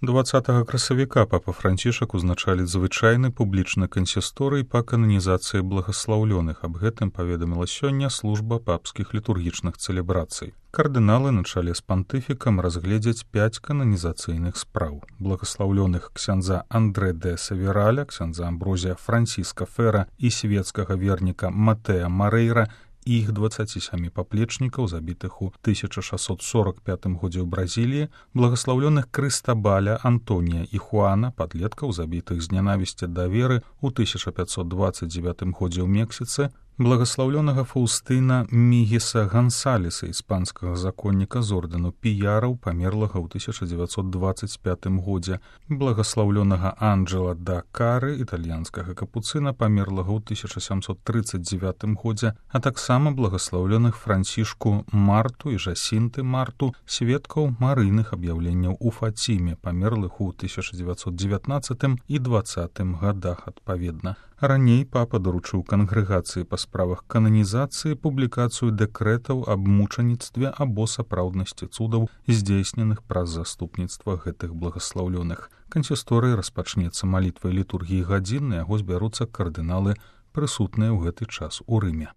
20 красавіка папа Францішак узначаліць звычайны публічны кансісторый па кананізацыі благаслаўлёных. Аб гэтым паведаміла сёння служба папскіх літургічных цэлебрацый. Кардыналы на чале з пантыфікам разгледзяць 5 кананізацыйных спраў. Благаслаўлёных ксяндза Андре де Савераля, ксяндза Амброзія Франціска Фера і свецкага верніка Матэа Марейра і іх 27 паплечнікаў, забітых у 1645 годзе ў Бразіліі, благаслаўлёных Крыстабаля, Антонія і Хуана, падлеткаў, забітых з нянавісці да веры ў 1529 годзе ў Мексіцы, благаслаўлёнага Фаўстына Мігіса Гансалеса, іспанскага законніка з ордэну піяраў, памерлага ў 1925 годзе, благаслаўлёнага Анджела да Кары, італьянскага капуцына, памерлага ў 1739 годзе, а таксама благаслаўлёных Францішку Марту і Жасінты Марту, сведкаў марыйных аб'яўленняў у Фаціме, памерлых у 1919 і 20 гадах адпаведна. Раней папа даручыў кангрэгацыі па справах кананізацыі публікацыю дэкрэтаў аб мучаніцтве або сапраўднасці цудаў, здзейсненых праз заступніцтва гэтых благаслаўлёных. Кансісторый распачнецца малітвай літургіі гадзін, на яго збяруцца кардыналы, прысутныя ў гэты час у Рыме.